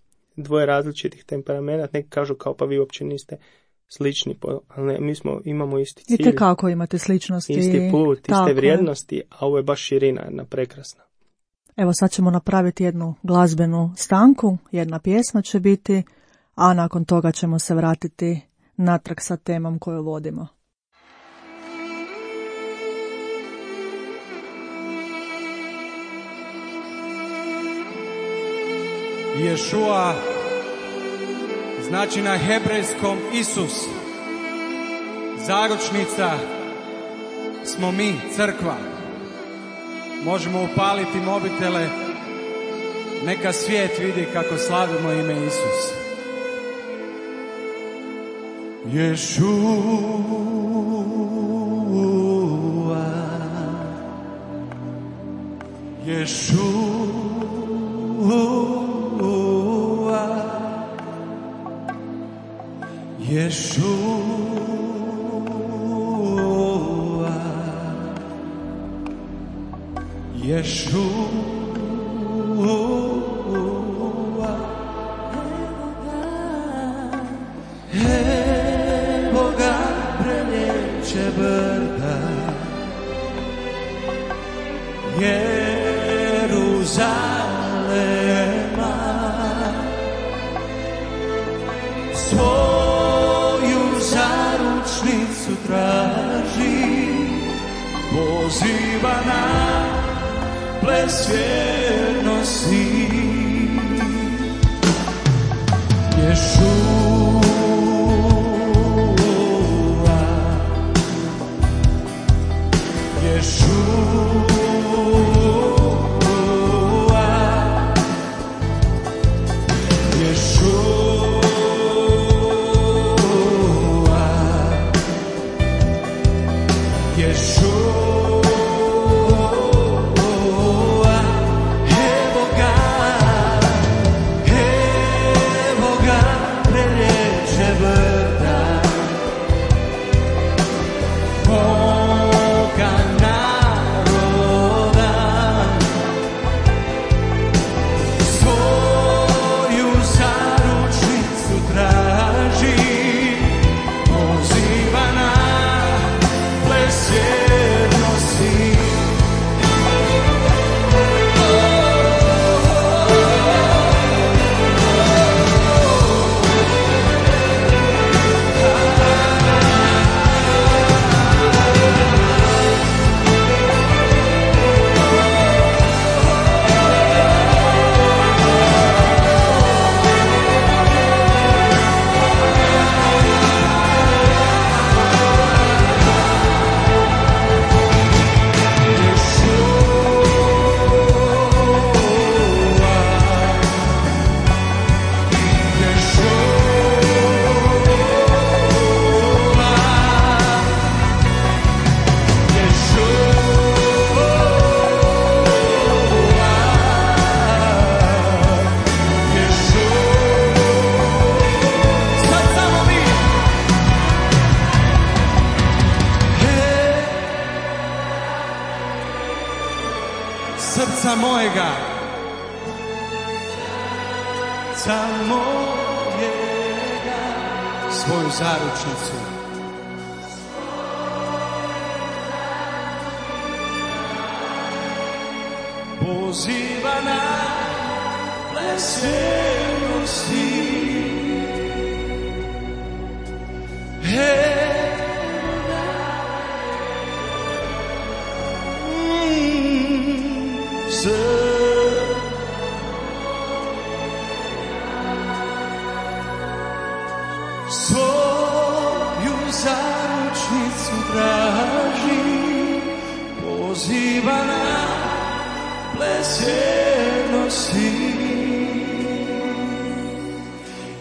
dvoje različitih temperamenta, neki kažu kao pa vi uopće niste slični, ali ne, mi imamo isti cilj. I kako imate sličnosti. Isti put, iste vrijednosti, a ovo je baš širina jedna prekrasna. Evo sad ćemo napraviti jednu glazbenu stanku, jedna pjesma će biti, a nakon toga ćemo se vratiti natrag sa temom koju vodimo. Ješua znači na hebrejskom Isus. Zaručnica smo mi, crkva. Možemo upaliti mobitele, neka svijet vidi kako slavimo ime Isus. Ješua, Ješua, Ješua, Ješua, evo ga prelijeće brda, Jeruzalema, svoju zaručnicu traži, poziva na ples vjernosti. Ješua, Ješua, srca mojega, srca mojega, svoju zaručnicu. Poziva na ples vjernosti. Svoju zaručnicu traži, poziva na ples vjernosti.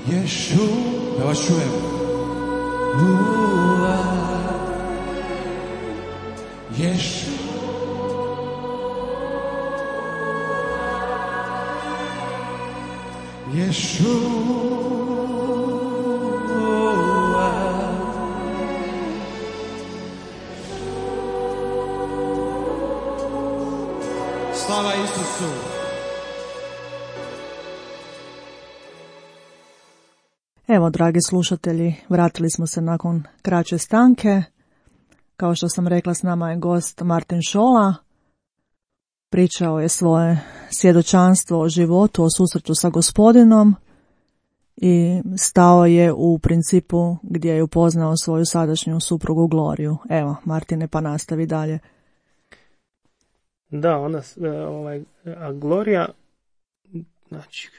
Ješu, da vas čujem. Ješu, Ješu. Slava Isusu. Evo, dragi slušatelji, vratili smo se nakon kraće stanke. Kao što sam rekla, s nama je gost Martin Šola. Pričao je svoje svjedočanstvo o životu, o susretu sa Gospodinom i stao je u principu gdje je upoznao svoju sadašnju suprugu Gloriju. Evo, Martine, pa nastavi dalje. Da, a Glorija, znači,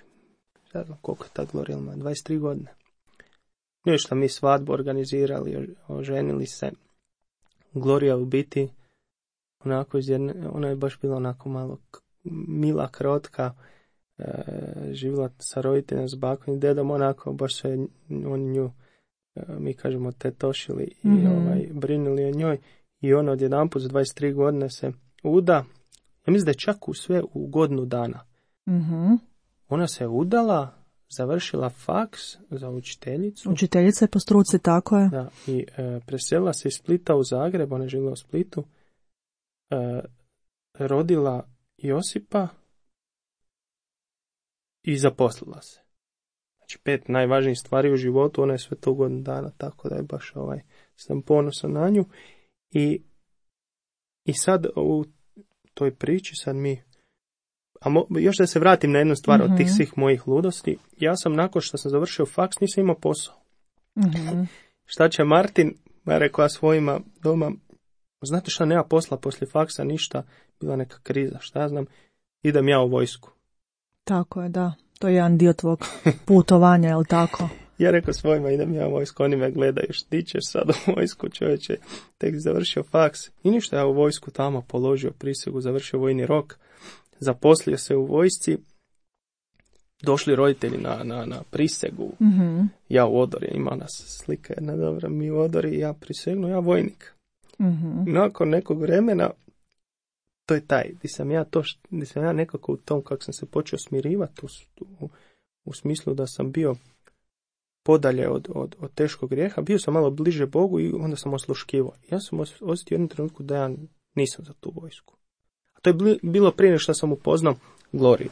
ne znam koliko je ta Glorija ima, 23 godine. Ništa, mi svadbu organizirali, oženili se. Glorija u biti, onako ona je baš bila onako malo mila, krotka, živjela sa roditeljem, s bakom i dedom, onako baš se oni nju, mi kažemo, tetošili i brinuli o njoj. I ona odjedanput za 23 godine se uda. Ja mislim da je čak sve u godinu dana. Mm-hmm. Ona se udala, završila faks za učiteljicu. Učiteljica je po struci, tako je. Da, i preselila se iz Splita u Zagreb, ona je živjela u Splitu. Rodila Josipa i zaposlila se. Znači 5 najvažnijih stvari u životu, ona je sve to godinu dana, tako da je baš sam ponosan na nju. I sad u toj priči sad mi, još da se vratim na jednu stvar od tih svih mojih ludosti, ja sam nakon što sam završio faks nisam imao posao. Šta će Martin, ja rekao ja svojima doma, znate šta, nema posla poslije faksa, ništa, bila neka kriza, šta ja znam, idem ja u vojsku. Tako je, da, to je jedan dio tvog putovanja, jel tako? Ja rekao svojima, idem ja u vojsku, oni me gledaju, ti ćeš sad u vojsku, čovječe, tek završio faks. I ništa, ja u vojsku tamo položio prisegu, završio vojni rok, zaposlio se u vojsci, došli roditelji na prisegu, ja u odori, ima nas slika jedna dobra, mi u odori, ja prisegnu, ja vojnik. Nakon nekog vremena, to je taj, gdje sam ja nekako u tom, kako sam se počeo smirivati, u smislu da sam bio podalje od teškog grijeha, bio sam malo bliže Bogu i onda sam osluškivao. Ja sam osjetio jednu trenutku da ja nisam za tu vojsku. A to je bilo prije nego što sam upoznao Gloriju.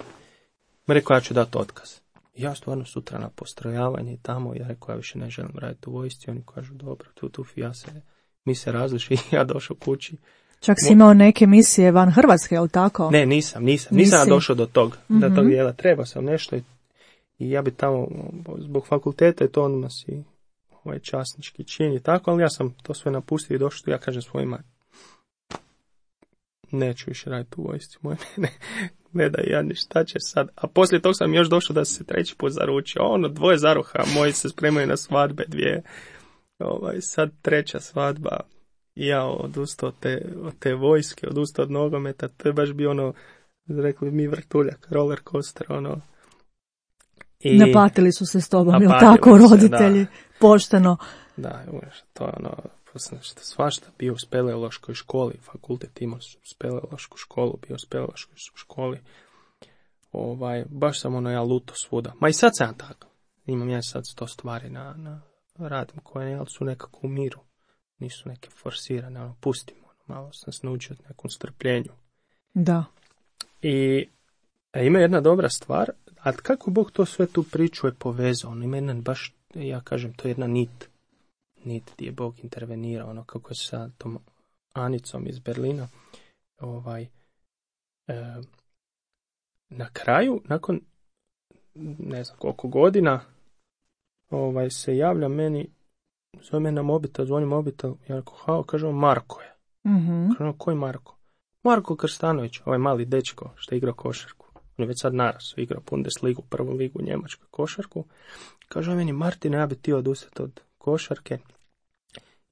Rekao, ja ću dati otkaz. I ja stvarno sutra na postrojavanje i tamo, ja rekao, ja više ne želim raditi u vojsci. Oni kažu, dobro, mi se različi i ja došao kući. Čak si imao neke misije van Hrvatske, je li tako? Ne, nisam ja došao do tog, da tog dijela. Treba sam nešto i ja bi tamo, zbog fakulteta je to odmah si časnički čin i tako, ali ja sam to sve napustio i došao, ja kažem svojima, neću više raditi u vojsci, ne da ja ništa će sad. A poslije tog sam još došao da se 3. put zaručio, 2 zaruha, moji se spremaju na svadbe, 2, sad 3. svadba. Ja odustao od te vojske, odustao od nogometa, to je baš bio rekli mi vrtuljak, roller coaster, I napatili su se s tobom, jel tako, roditelji, da. Pošteno. Da, to je svašta, bio u speleološkoj školi, fakultet imao speleološku školu, bio u speleološkoj školi, baš sam ja luto svuda. Ma i sad sam tako, imam ja sad 100 stvari na radim koje su nekako u miru. Nisu neke forsirane, pustimo, malo sam se naučio nekom strpljenju. Da. I ima jedna dobra stvar, a kako Bog to sve tu priču je povezao, ima jedan baš, ja kažem, to je jedna nit gdje je Bog intervenirao, kako je sa tom Anicom iz Berlina, na kraju, nakon ne znam koliko godina, se javlja meni, zove me na mobitel, zvoni mobitel, ja rekao, kaže on, Marko je. Kaže on, koji Marko? Marko Krstanović, mali dečko što je igrao košarku. On je već sad narasao, igrao Bundesligu, prvu ligu u Njemačkoj košarku. Kaže on meni, Martine, ja bi ti odustati od košarke.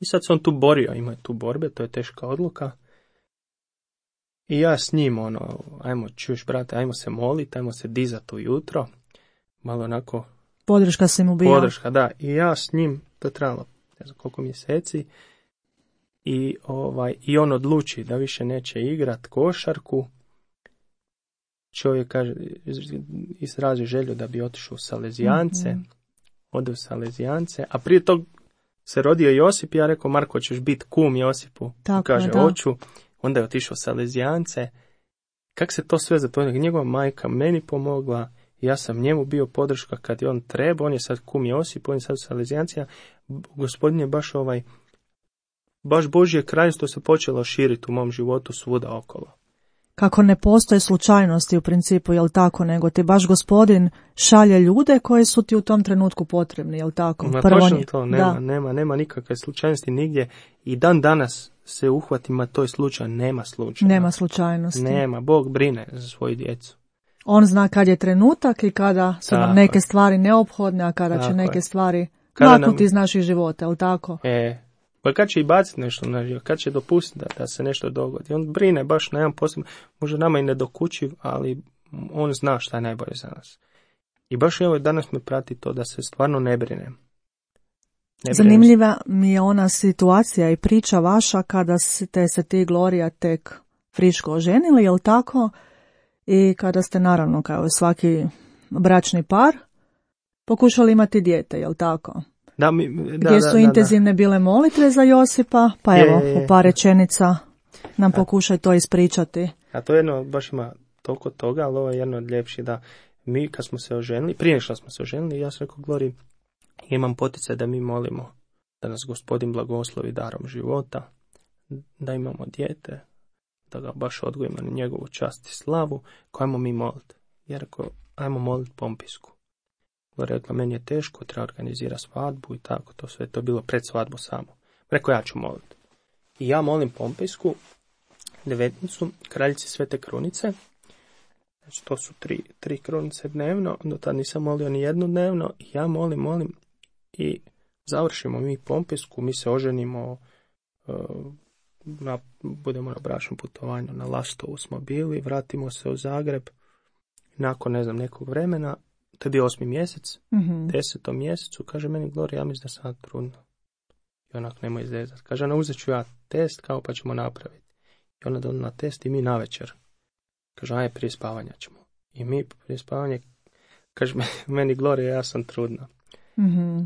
I sad se on tu borio, ima je tu borbe, to je teška odluka. I ja s njim, ajmo, čuješ brate, ajmo se moliti, ajmo se dizati ujutro. Malo onako... Podrška si mu bio. Podrška, da. I ja s njim, to je trajalo ne znam koliko mjeseci, i on odluči da više neće igrat košarku. Čovjek kaže, izrazi želju da bi otišao u Salezijance, ode u Salezijance, a prije tog se rodio Josip i ja rekao, Marko, ćeš biti kum Josipu? Tako, kaže, hoću. Onda je otišao u Salezijance. Kako se to sve zapovedalo? Njegova majka meni pomogla, Ja sam njemu bio podrška kad je on treba, on je sad kum Josip, on je sad Salezijancija. Gospodin je baš Božje kraljevstvo se počelo širiti u mom životu svuda okolo. Kako ne postoje slučajnosti u principu, jel tako, nego ti baš Gospodin šalje ljude koji su ti u tom trenutku potrebni, jel tako? Točno to, nema nikakve slučajnosti nigdje i dan danas se uhvatima toj slučaj, nema slučaja. Nema slučajnosti. Nema, Bog brine za svoju djecu. On zna kad je trenutak i kada su nam neke stvari neophodne, a kada će neke stvari maknuti iz naših života, jel tako? Pa kad će i baciti nešto na život, kad će dopustiti da se nešto dogodi. On brine baš na jedan posebno, može nama i nedokučiv, ali on zna šta je najbolje za nas. I baš evo danas me prati to da se stvarno ne brine. Zanimljiva mi je ona situacija i priča vaša kada ste se ti Gloria tek friško oženili, jel tako? I kada ste naravno kao svaki bračni par pokušali imati dijete, jel tako? Gdje su intenzivne bile molitve za Josipa, pa evo, u par rečenica nam pokušaj to ispričati. A to jedno baš ima toliko toga, ali ovo je jedno od ljepših da mi kad smo se oženili, prije što smo se oženili, ja sam rekao Glori, imam poticaj da mi molimo da nas Gospodin blagoslovi darom života, da imamo dijete, da ga baš odgojimo na njegovu čast i slavu, koju ajmo mi moliti. Ja rekao, ajmo moliti Pompisku. Rekla, meni je teško, treba organizirati svadbu i tako, to sve, to je bilo pred svadbu samo. Rekao, ja ću moliti. I ja molim Pompisku, devetnicu, kraljici Svete Krunice, znači to su tri krunice dnevno, do tada nisam molio ni jednu dnevno, i ja molim i završimo mi Pompisku, mi se oženimo, budemo na bračnom putovanju, na Lastovu smo bili, vratimo se u Zagreb, nakon nekog vremena, to je bio 8. mjesec, 10. mjesecu, kaže meni Gloria, ja mislim da sam trudna. I onak nemoj izrezati. Kaže, uzet ću ja test, kao pa ćemo napraviti. I ona donijela test i mi navečer. Kaže, aj prije spavanja ćemo. I mi prije spavanja, kaže meni Gloria, ja sam trudna.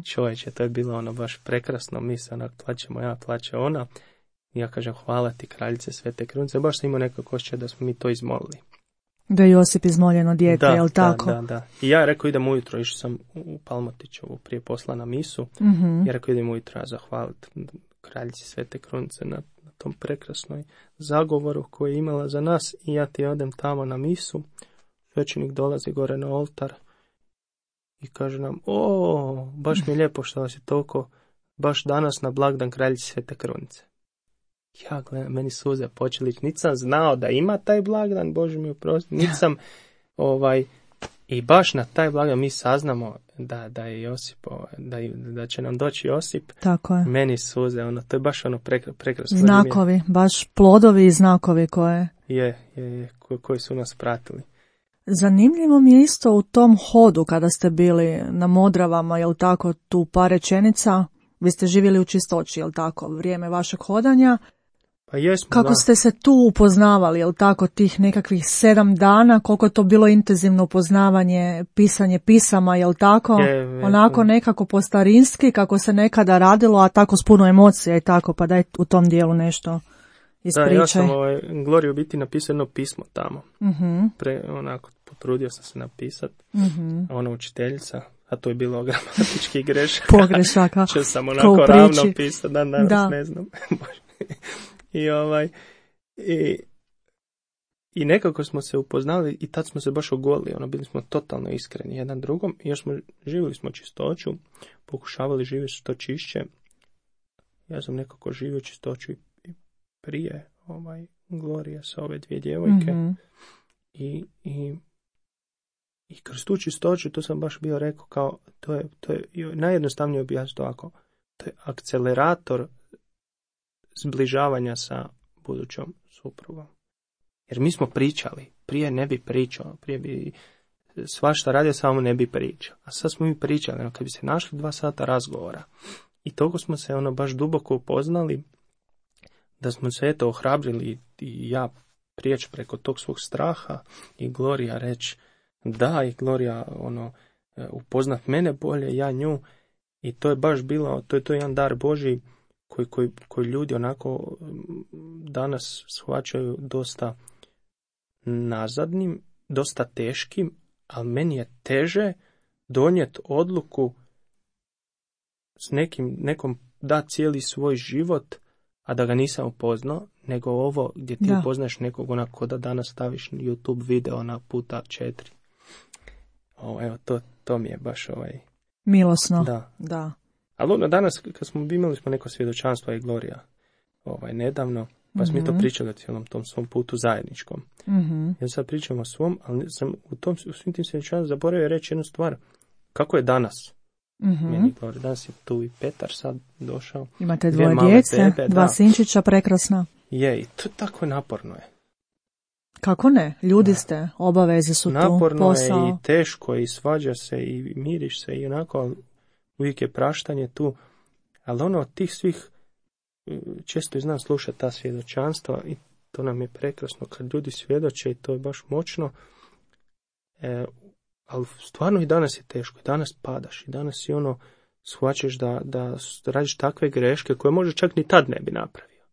Čovječe, to je bilo baš prekrasno, mi se onak plaćemo, ja plaće ona. I ja kažem, hvala ti kraljice Svete Krunice, baš sam imao nekako osjećaj da smo mi to izmolili. Da je Josip izmoljeno dijete, jel tako? Da. I ja rekao idem ujutro, išao sam u Palmotićevu prije posla na misu. Ja rekao idem ujutro zahvaliti kraljici Svete Krunice na tom prekrasnoj zagovoru koji je imala za nas. I ja ti odem tamo na misu. Svećenik dolazi gore na oltar i kaže nam, baš mi je lijepo što vas je toliko, baš danas na blagdan kraljici Svete Krunice. Ja gledam, meni suze počeli, niti sam znao da ima taj blagdan, Bože mi oprosti, niti sam, i baš na taj blagdan mi saznamo da je Josip, da će nam doći Josip. Tako je. Meni suze, to je baš prekrasno. Znakovi, baš plodovi i znakovi koje... koji su nas pratili. Zanimljivo mi je isto u tom hodu kada ste bili na Modravama, jel tako, tu par rečenica, vi ste živjeli u Čistoći, jel tako, vrijeme vašeg hodanja. Pa jesmo, kako ste se tu upoznavali, jel tako, tih nekakvih 7 dana, koliko je to bilo intenzivno upoznavanje, pisanje pisama, jel tako, onako nekako po starinski, kako se nekada radilo, a tako s puno emocija i tako, pa daj u tom dijelu nešto ispričaj. Da, ja sam Gloriju biti napisao jedno pismo tamo, onako potrudio sam se napisati, ona učiteljica, a to je bilo gramatički grešaka. Pogrešaka. Če sam onako ravno pisao, danas ne znam. I nekako smo se upoznali i tad smo se baš ogolili, bili smo totalno iskreni jedan drugom i još živjeli smo čistoću, pokušavali živjeti što čišće. Ja sam nekako živio čistoću i prije Glorija sa ove 2 djevojke i kroz tu čistoću, to sam baš bio rekao kao, to je najjednostavnije objasniti ovako, to je akcelerator zbližavanja sa budućom suprugom. Jer mi smo pričali, prije ne bi pričao, prije bi svašta radio, samo ne bi pričao. A sad smo mi pričali, kad bi se našli 2 sata razgovora i toliko smo se baš duboko upoznali da smo se ohrabrili i ja prijeći preko tog svog straha i Glorija reći da, i Glorija upoznat mene bolje, ja nju, i to je baš bilo, to je jedan dar Božji koji ljudi onako danas shvaćaju dosta nazadnim, dosta teškim, ali meni je teže donijeti odluku s nekom da cijeli svoj život, a da ga nisam upoznao, nego ovo gdje ti upoznaš nekog onako da danas staviš YouTube video na puta 4. Evo, to mi je baš milosno. Da. Ali danas, kad smo imali neko svjedočanstvo i Gloria nedavno, pa smo mi to pričali o cijelom tom svom putu zajedničkom. Ja sad pričam o svom, ali sam u svim tim svjedočanstvima zaboravio reći jednu stvar. Kako je danas? Meni Gloria, danas je tu i Petar sad došao. Imate dvoje djece, dva sinčića, prekrasna. Je, i to tako naporno je. Kako ne? Ljudi ste, obaveze su naporno tu, posao. Naporno je i teško i svađa se i miriš se i onako uvijek je praštanje tu. Ali od tih svih često znam slušati ta svjedočanstva i to nam je prekrasno kad ljudi svjedoče i to je baš moćno. Ali stvarno i danas je teško, i danas padaš, i danas si shvaćaš da radiš takve greške koje možda čak ni tad ne bi napravio.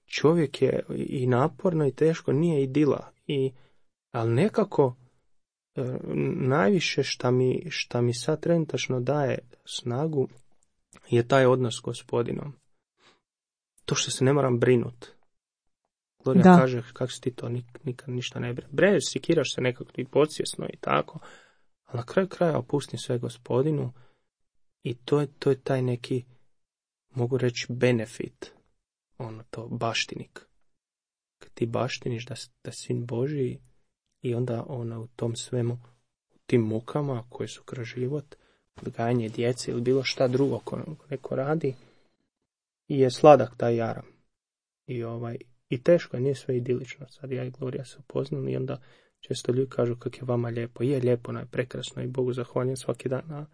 Čovjek je i naporno i teško, nije idila, ali nekako najviše šta mi sad trenutačno daje snagu je taj odnos s Gospodinom. To što se ne moram brinut. Gloria kaže, kako si ti to, nikad ništa ne brine. Sikiraš se nekako i podsvjesno i tako, ali na kraju kraja opustim sve Gospodinu i to je taj neki, mogu reći, benefit, to baštinik. Kad ti baštiniš da sin Božiji i onda u tom svemu, u tim mukama koje su kroz život, odgajanje djece ili bilo šta drugo ko neko radi, i je sladak taj jaram. I teško je, nije sve idilično. Sad ja i Gloria se upoznali i onda često ljudi kažu kako je vama lijepo. Je lijepo, prekrasno i Bogu zahvaljujem svaki dan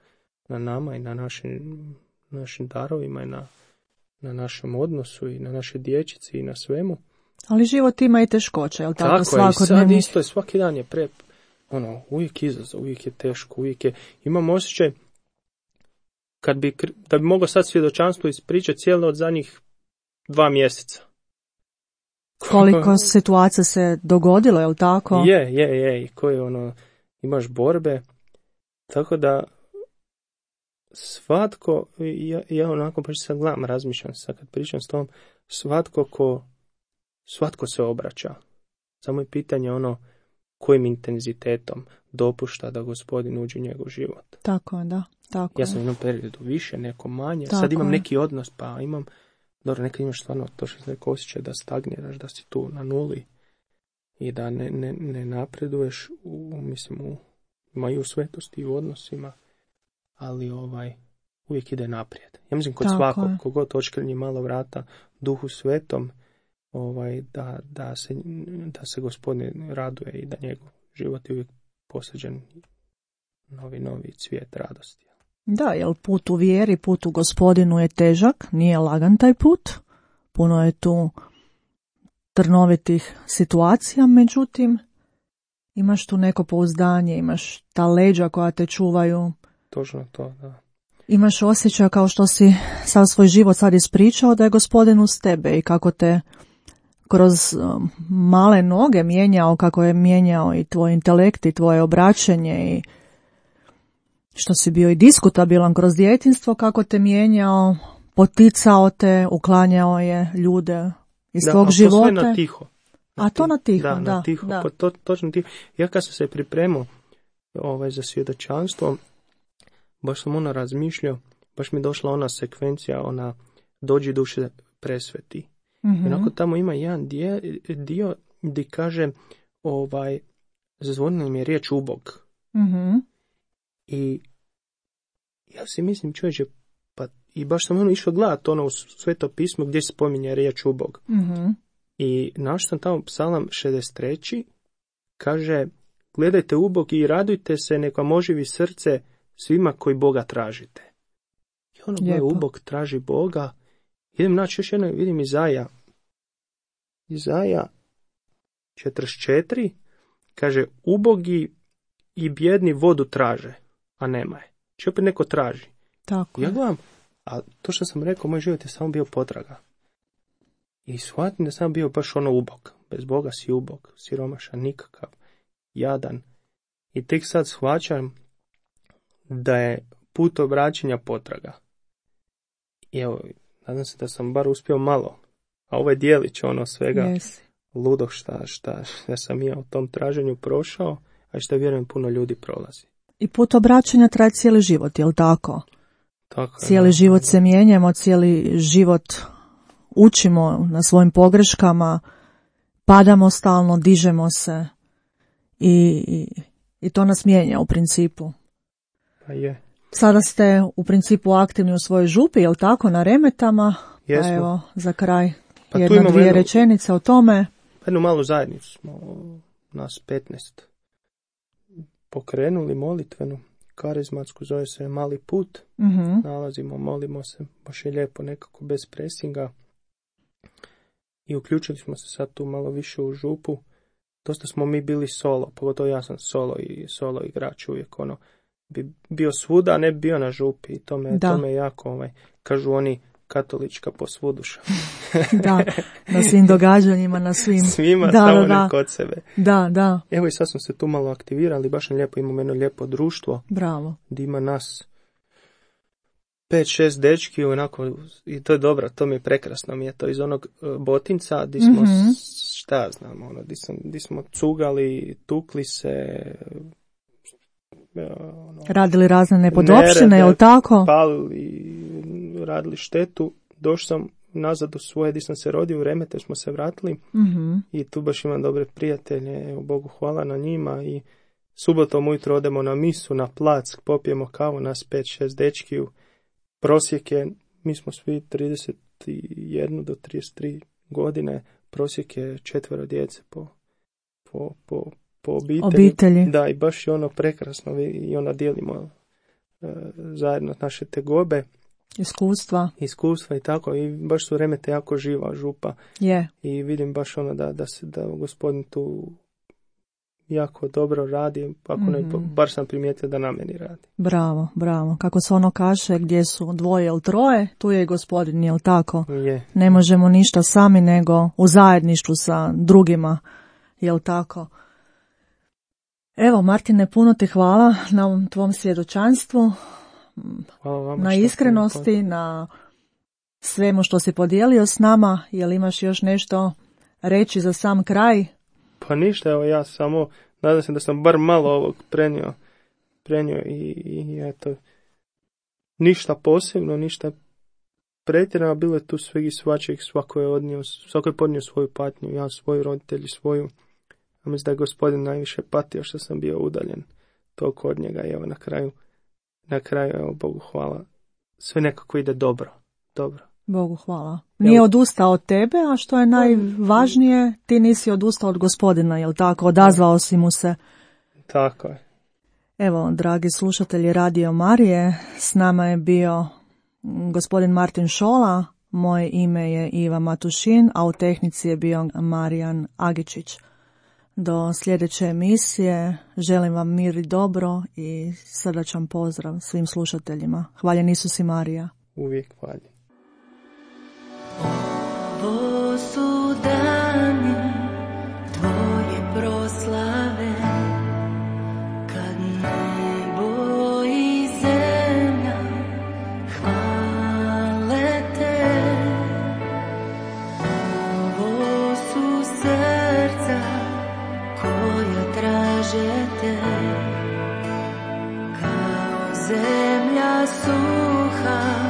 na nama i na našim darovima i na našem odnosu i na našoj dječici i na svemu. Ali život ima i teškoće, jel tako? Tako je, i sad isto je, svaki dan je uvijek izazov, uvijek je teško, imam osjećaj da bi mogao sad svjedočanstvo ispričati cijelo od zadnjih 2 mjeseca. Koliko situacija se dogodilo, je li tako? Je, i koje imaš borbe, tako da svatko, ja onako baš sad gledam, razmišljam sad kad pričam s tom, svatko se obraća. Samo je pitanje kojim intenzitetom dopušta da Gospodin uđe u njegov život. Tako je, da. Tako ja sam u jednom periodu više, neko manje, tako sad imam neki odnos, pa imam, dobro, nekad imaš stvarno to što se neko osjećaj da stagniraš, da si tu na nuli i da ne napreduješ i u svetosti i u odnosima, ali uvijek ide naprijed. Ja mislim kod svakog, kogod očkrnji malo vrata Duhu Svetom, da se Gospodin raduje i da njegov život je uvijek posađen novi cvijet radosti. Da, jer put u vjeri, put u Gospodinu je težak, nije lagan taj put, puno je tu trnovitih situacija, međutim imaš tu neko pouzdanje, imaš ta leđa koja te čuvaju. Točno to, da. Imaš osjećaj kao što si sav svoj život sad ispričao da je Gospodin uz tebe i kako te kroz male noge mijenjao, kako je mijenjao i tvoj intelekt i tvoje obraćanje i što si bio i diskutabilan kroz djetinjstvo, kako te mijenjao, poticao te, uklanjao je ljude iz svog života. Da, a to sve na tiho. To na tiho, da. Na tiho, da. Pa točno tiho. Ja kad sam se pripremao za svjedočanstvo, baš sam razmišljao, baš mi došla ona sekvencija, dođi duše presveti. Mm-hmm. I onako tamo ima jedan dio gdje kaže, zazvonila mi je riječ ubog. Mm-hmm. I ja si mislim, čovječe, pa i baš sam išao gledati u Sveto pismo gdje se spominje riječ ubog. Mm-hmm. I našao sam tamo Psalam 63. kaže, gledajte ubog i radujte se, nek vam oživi srce svima koji Boga tražite. I gledaj, ubog traži Boga. Idem naći još jedno, vidim Izaja 44, kaže, ubogi i bjedni vodu traže, a nema je. Či opet neko traži. Tako. Ja gledam, a to što sam rekao, moj život je samo bio potraga. I shvatim da sam bio baš ubog. Bez Boga si ubog, siromašan, nikakav, jadan. I tek sad shvaćam da je put obraćanja potraga. I evo, nadam se da sam bar uspio malo. A ovaj dijelić ono svega ludog šta sam ja u tom traženju prošao, a što vjerujem puno ljudi prolazi. I put obraćanja traje cijeli život, je li tako? Tako je, cijeli život se mijenjamo, cijeli život učimo na svojim pogreškama, padamo stalno, dižemo se i to nas mijenja u principu. Pa je. Sada ste u principu aktivni u svojoj župi, je li tako, na Remetama? Jesmo. Pa evo, za kraj Pa dvije rečenice o tome. Jednu malu zajednicu smo, nas 15, pokrenuli molitvenu, karizmatsku, zove se Mali put. Nalazimo, molimo se, baš je lijepo, nekako bez presinga. I uključili smo se sad tu malo više u župu. Dosta smo mi bili solo, pogotovo ja sam solo igrač uvijek, ono, bi bio svuda, a ne bio na župi. I to me jako, kažu oni, katolička posvuduša. Da, na svim događanjima, na svim. Svima, samo ne kod sebe. Da. Evo i sad smo se tu malo aktivirali, baš je lijepo, imamo jedno lijepo društvo. Bravo. Gdje ima nas 5-6 dečki, onako, i to je dobro, to mi je prekrasno, mi je to iz onog Botinca, gdje smo, šta znam, ono, gdje smo cugali, tukli se, radili razne nepodopštine, je li tako? Palili, radili štetu. Došao sam nazad u svoje, gdje sam se rodio u Remete, smo se vratili i tu baš imam dobre prijatelje, evo Bogu hvala na njima, i subotom ujutro odemo na misu, na plac, popijemo kavu, nas 5-6 dečkiju, prosjek je, mi smo svi 31 do 33 godine, prosjek je 4 djece po obitelji. Da, i baš je ono prekrasno i onda dijelimo zajedno naše tegobe. Iskustva i tako, i baš su Remete jako živa župa. Yeah. I vidim baš ono da Gospodin tu jako dobro radi, ako ne, bar sam primijetio da na meni radi. Bravo. Kako se ono kaže, gdje su 2 ili 3, tu je i Gospodin, je li tako? Je. Ne možemo ništa sami, nego u zajedništvu sa drugima, je li tako? Evo, Martine, puno ti hvala na ovom tvom svjedočanstvu, na iskrenosti, na svemu što si podijelio s nama. Jel imaš još nešto reći za sam kraj? Pa ništa, evo ja samo nadam se da sam bar malo ovog prenio i eto, ništa posebno, ništa pretjerano, bilo je tu sveg i svačeg, svako je podnio svoju patnju, ja svoju, roditelji svoju. A mislim da je Gospodin najviše patio što sam bio udaljen toliko od njega, i evo na kraju, evo Bogu hvala, sve nekako ide dobro. Bogu hvala. Nije odustao od tebe, a što je najvažnije, ti nisi odustao od Gospodina, jel tako? Odazvao si mu se. Tako je. Evo, dragi slušatelji Radio Marije, s nama je bio gospodin Martin Šola, moje ime je Iva Matušin, a u tehnici je bio Marijan Agičić. Do sljedeće emisije želim vam mir i dobro i srdačan pozdrav svim slušateljima. Hvaljen Isus i Marija. Uvijek hvaljen. Ovo su dani tvoje proslave, kad nebo i zemlja hvale te. Ovo su srca koja traže te, kao zemlja suha,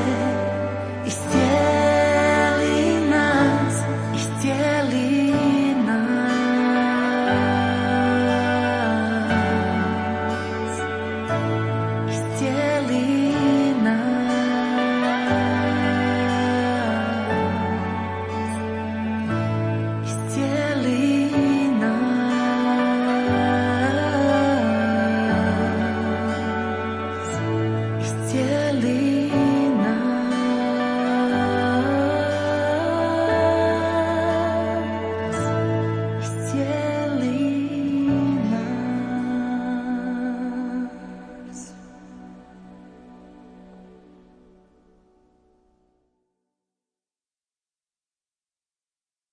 te